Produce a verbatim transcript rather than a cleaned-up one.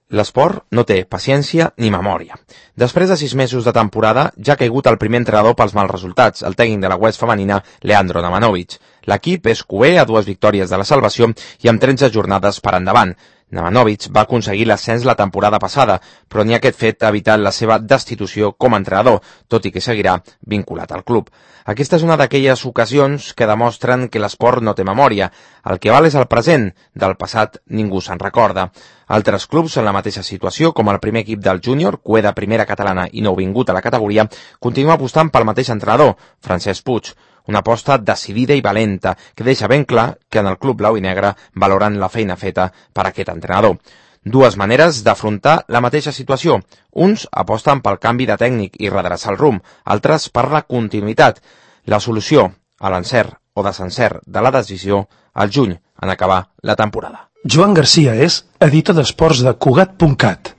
L'esport no té paciència ni memòria. Després de sis mesos de temporada, ja ha caigut el primer entrenador pels mals resultats, el tècnic de la Huesca femenina, Leandro Nemanovic. L'equip és cuer a dues victòries de la salvació i amb tretze jornades per endavant. Nemanovic va aconseguir l'ascens la temporada passada, però ni aquest fet ha evitat la seva destitució com a entrenador, tot i que seguirà vinculat al club. Aquesta és una d'aquelles ocasions que demostren que l'esport no té memòria. El que val és el present, del passat ningú se'n recorda. Altres clubs en la mateixa situació, com el primer equip del júnior, cuer de primera catalana i nouvingut a la categoria, continua apostant pel mateix entrenador, Francesc Puig. Una aposta decidida i valenta que deixa ben clar que en el club blau i negre valoren la feina feta per aquest entrenador. Dues maneres d'afrontar la mateixa situació. Uns aposten pel canvi de tècnic i redreçar el rumb, altres per la continuïtat. La solució a l'encert o desencert de la decisió al juny en acabar la temporada. Joan Garcia és editor d'esports de Cugat punt cat.